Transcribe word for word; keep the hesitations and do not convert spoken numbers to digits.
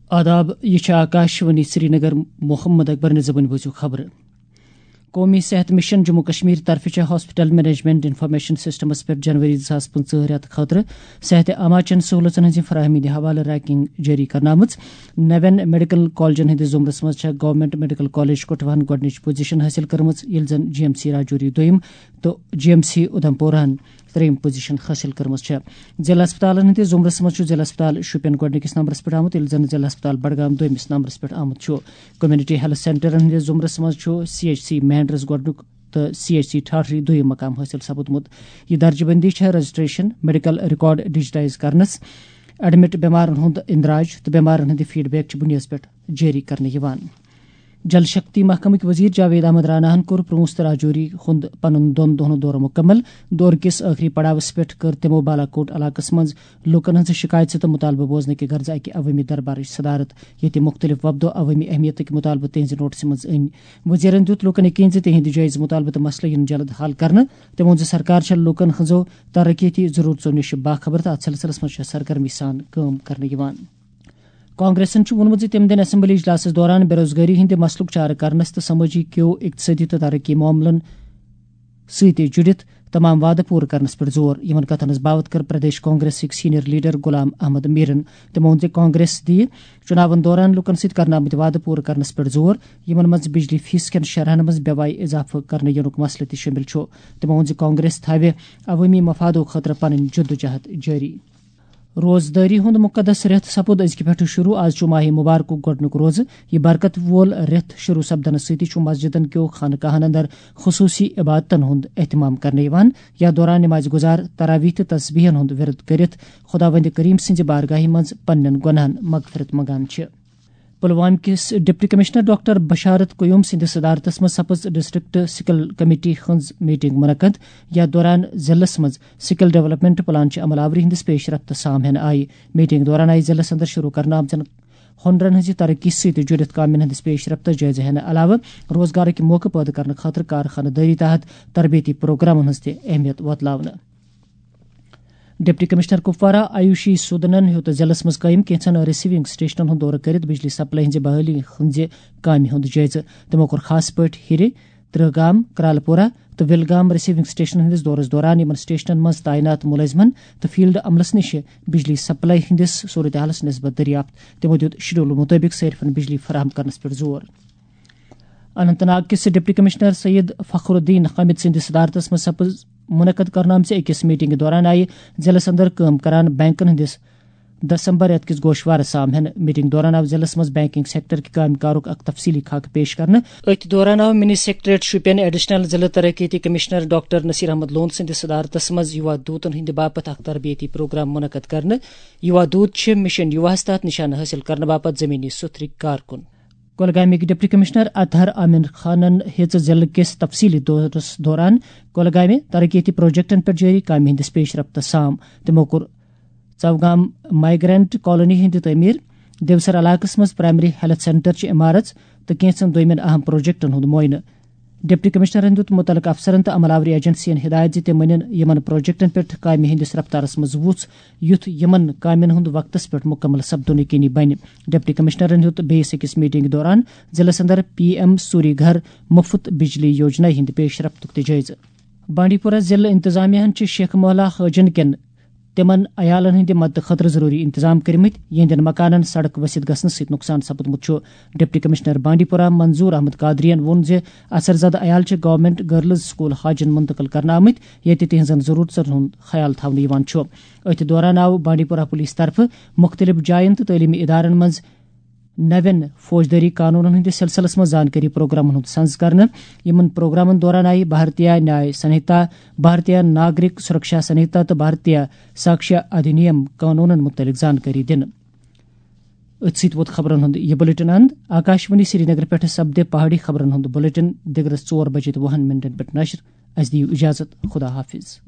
آداب، یہِ چھِ آکاشوانی سرینگر۔ محمد اکبر نظامٕنۍ بوٗزِو خبرٕ۔ قومی صحت مشن جموں کشمیر طرفہٕ چھِ ہاسپٹل مینجمنٹ انفارمیشن سسٹمس پٮ۪ٹھ جنوری زٕ ساس پٕنٛژٕہ رٮ۪تہٕ خٲطرٕ صحت عامہ چٮ۪ن سہوٗلژن ہٕنٛزِ فراہمی ہٕنٛدِ حوالہٕ رینکنگ جٲری کرنہٕ آمٕژ۔ نوٮ۪ن میڈیکل کالجن ہٕنٛدِس زمرس منٛز چھےٚ گورنمنٹ میڈیکل کالج کٹھوہن گۄڈٕنِچ پوزیشن حٲصِل کٔرمٕژ، ییٚلہِ زن جی ایم سی راجوری دوٚیِم تہٕ جی ایم سی اُدھمپورہن ترٛیٚیِم پوزیشن حٲصِل کٔرمٕژ چھےٚ۔ ضلع ہسپتالن ہٕنٛدِس زمرس منٛز چھُ ضلع ہسپتال شوپین گۄڈٕنِکِس نمبرس پٮ۪ٹھ آمُت، ییٚلہِ زن ضلع ہسپتال بڈگام دوٚیمِس نمبرس پٮ۪ٹھ آمُت چھُ۔ کمیونٹی ہیلتھ سینٹرن ہٕنٛدِس زمرس منٛز چھُ سی ایچ سی مینڈرس گۄڈٕنیُک تہٕ سی ایچ سی ٹھاٹھری دوٚیِم مقام حٲصِل سپُدمُت۔ یہِ درجہٕ بندی چھےٚ رجسٹریشن، میڈیکل ریکارڈ ڈیجیٹائز کرنس، ایڈمٹ بٮ۪مارن ہُنٛد اندراج تہٕ بٮ۪مارن ہٕنٛدِ فیڈ بیک چہِ بُنیادس پٮ۪ٹھ جٲری کرنہٕ یِوان۔ جل شکتی محکمٕکۍ وزیر جاوید احمد راناہن کوٚر پرونس تہٕ راجوری ہُنٛد پنُن دۄن دۄہن دورٕ مُکمل۔ دورٕ کِس ٲخری پڑاوس پٮ۪ٹھ کٔر تِمو بالاکوٹ علاقس منٛز لوٗکن ہٕنٛز شکایژٕ تہٕ مُطالبہٕ بوزنہٕ کہِ غرضہٕ اکہِ عوٲمی دربارٕچ صدارت، ییٚتہِ مُختٔلِف وفدو عوٲمی اہمیتٕکۍ مُطالبہٕ تِہنٛزِ نوٹسہِ منٛز أنۍ۔ وزیرن دیُت لوٗکن یقین زِ تِہنٛدۍ جٲیزٕ مُطالبہٕ تہٕ مسلہٕ یِن جلد حل کرنہٕ۔ تِمو ووٚن زِ سرکار چھےٚ لوٗکن ہٕنٛزو ترقیتی ضروٗرژو نِش باخبر تہٕ اتھ سلسلس منٛز چھےٚ سرگرمی سان کٲم کرنہٕ یِوان۔ کانگریسن چھُ ووٚنمُت زِ تِم دِن اسمبلی اجلاسس دوران بے روزگٲری ہٕنٛدِ مسلُک چارٕ کرنس تہٕ سمٲجی کیو اقتصٲدی تہٕ ترقی معاملن سۭتۍ جُڑِتھ تمام وعدٕ پوٗرٕ کرنس پٮ۪ٹھ زور۔ یِمن کتھن ہٕنٛز باوتھ کٔر پردیش کانگریسٕکۍ سینئر لیڈر غلام احمد میرن۔ تِمو ووٚن زِ کانگریس دِیہِ چُناون دوران لوٗکن سۭتۍ کرنہٕ آمٕتۍ وعدٕ پوٗرٕ کرنس پٮ۪ٹھ زور، یِمن منٛز بجلی فیس کٮ۪ن شرحن منٛز بے وایہِ اضافہٕ کرنہٕ یِنُک مسلہٕ تہِ شٲمِل چھُ۔ تِمو ووٚن زِ کانگریس تھاوِ عوٲمی مفادو خٲطرٕ پنٕنۍ جدوجہد جٲری۔ روزدٲری ہُنٛد مُقدس رٮ۪تھ سپُد أزکہِ پٮ۪ٹھٕ شروع۔ آز چھُ ماہِ مُبارکُک گۄڈٕنیُک روزٕ۔ یہِ برکت وول رٮ۪تھ شروع سپدنہٕ سۭتی چھُ مسجدن کیو خانقاہن اندر خصوٗصی عبادتن ہُنٛد اہتمام کرنہٕ یِوان، یتھ دوران نماز گزار تراویح تہٕ تسبیحن ہُنٛد ورد کٔرِتھ خداوند کریم سٕنٛزِ بارگاہہِ منٛز پننٮ۪ن گۄناہن مغفرت منگان چھِ۔ پلوامہ کِس ڈپٹی کمشنر ڈاکٹر بشارت قیوم سٕنٛدِس صدارتس منٛز سپٕز ڈسٹرکٹ سکل کمیٹی ہٕنٛز میٹنگ منعقد، یتھ دوران ضلعس منٛز سکل ڈیولپمنٹ پلان چہِ عمل آوری ہٕنٛدِس پیش رفت سام ہٮ۪نہٕ آیہِ۔ میٹنگ دوران آیہِ ضلعس اندر شروع کرنہٕ آمژن ہُنرن ہٕنٛزِ ترقی سۭتۍ جُڑِتھ کامٮ۪ن ہٕنٛدِس پیش رفتس جٲیزٕ ہٮ۪نہٕ علاوٕ روزگارٕکۍ موقعہٕ پٲدٕ کرنہٕ خٲطرٕ کارخانہٕ دٲری تحت تربیتی پروگرامن ہٕنٛز تہِ اہمیت وۄتلاونہٕ۔ ڈپٹی کمشنر کپوارہ آیوشی سودنن ہیوٚت ضلعس منٛز قٲیِم کینٛژن ریسیونگ سٹیشنن ہُنٛد دورٕ کٔرِتھ بجلی سپلائی ہٕنٛزِ بحالی ہٕنٛزِ کامہِ ہُنٛد جٲیزٕ۔ تِمو کوٚر خاص پٲٹھۍ ہیٚرِ ترٛہ گام، کرالہٕ پورہ تہٕ وِل گام ریسیونگ سٹیشنن ہٕنٛدِس دورس دوران یِمن سٹیشنن منٛز تعینات مُلٲزمن تہٕ فیلڈ عملس نِش بجلی سپلائی ہٕنٛدِس صورتحالس نسبت دریافت۔ تِمو دیُت شیڈول مُطٲبِق صٲرفن بجلی فراہم کرنس پٮ۪ٹھ زور۔ اننت ناگ کِس ڈپٹی کمشنر سید فخر الدین حامد سٕنٛدِس صدارتس منٛز سپٕز منعقد کرنہٕ آمژِ أکِس میٹنگہِ دوران آیہِ ضلعس اندر کٲم کران بینکن ہٕنٛدِس دسمبر رٮ۪تہٕ کِس گوشوارس سام ہٮ۪نہٕ۔ میٹنگ دوران آو ضلعس منٛز بینکنگ سیکٹر کہِ کامہِ کارُک اکھ تفصیلی خاکہٕ پیش کرنہٕ۔ أتھۍ دوران آو منی سیکرٹریٹ شوپین ایڈیشنل ضلع ترقیتی کمشنر ڈاکٹر نصیر احمد لون سٕنٛدِس صدارتس منٛز یُوا دوٗتن ہٕنٛدِ باپتھ اکھ تربیتی پروگرام منعقد کرنہٕ۔ یُوا دوٗت چھِ مشن یُواہس تحت نشانہٕ حٲصِل کرنہٕ باپتھ زمینی سُتھرٕکۍ کارکُن۔ کۄلگامٕکۍ ڈپٹی کمشنر اطہر عامر خانن ہیٚژ ضلعہٕ کِس تفصیلی دورس دوران کۄلگامہِ ترقیتی پروجیکٹن پٮ۪ٹھ جٲری کامہِ ہٕنٛدِس پیش رفتس سام۔ تِمو کوٚر ژوگام مائیگرنٹ کالونی ہٕنٛدِ تعمیٖر، دیوسر علاقس منٛز پرائمری ہیلتھ سینٹر چہِ عمارژ تہٕ کینٛژن دوٚیمٮ۪ن اہم پروجیکٹن ہُنٛد معائنہٕ۔ ڈپٹی کمشنرن دیُت مُتعلقہٕ افسرن تہٕ عملہ آوری ایجنسین ہدایت زِ تِم أنِن یِمن پروجیکٹن پٮ۪ٹھ کامہِ ہٕنٛدِس رفتارس منٛز وُژھ، یُتھ یِمن کامٮ۪ن ہُنٛد وقتس پٮ۪ٹھ مُکمل سپدُن یقینی بنہِ۔ ڈپٹی کمشنرن ہیوٚت بیٚیِس أکِس میٹنگ دوران ضلعس اندر پی ایم سوری گھر مُفت بجلی یوجنا ہٕنٛدِ پیش رفتُک تہِ جٲیزٕ۔ بانڈی پورہ ضلع انتظامیہ ہن چھِ شیخ مولا حٲجن کٮ۪ن تِمن عیالن ہٕنٛدِ مدتہٕ خٲطرٕ ضروٗری انتظام کٔرمٕتۍ، یِہنٛدٮ۪ن مکانن سڑک ؤسِتھ گژھنہٕ سۭتۍ نۄقصان سپُدمُت چھُ۔ ڈپٹی کمشنر بانڈی پورہ منظور احمد قادری ین ووٚن زِ اثر زدٕ عیال چھِ گورنمنٹ گرلز سکول حاجن منتقل کرنہٕ آمٕتۍ، ییٚتہِ تِہنٛزن ضروٗرژن ہُنٛد خیال تھاونہٕ یِوان چھُ۔ أتھۍ دوران آو بانڈی پورہ پولیس طرفہٕ مُختٔلِف جاین تہٕ تعلیمی ادارن منٛز نوٮ۪ن فوجدٲری قانونن ہٕنٛدِس سلسلس منٛز زانکٲری پروگرامن ہُنٛد سنز کرنہٕ۔ یِمن پروگرامن دوران آیہِ بھارتیہ نیاے سنہتا، بھارتیہ ناگرک سرکشا سنہتا تہٕ بھارتیہ ساکشیا ادھینیم قانونن مُتعلق زانکٲری دِنہٕ۔ أتھۍ سۭتۍ ووت خبرن ہُنٛد یہِ بلیٹن اند۔ آکاشوانی سرینگر پٮ۪ٹھ سپدِ پہاڑی خبرن ہُنٛد بلیٹن دِگرس ژور بجے تہٕ وُہن منٹن پٮ۪ٹھ نشر۔ اسہِ دِیِو اجازت۔ خدا حافظ۔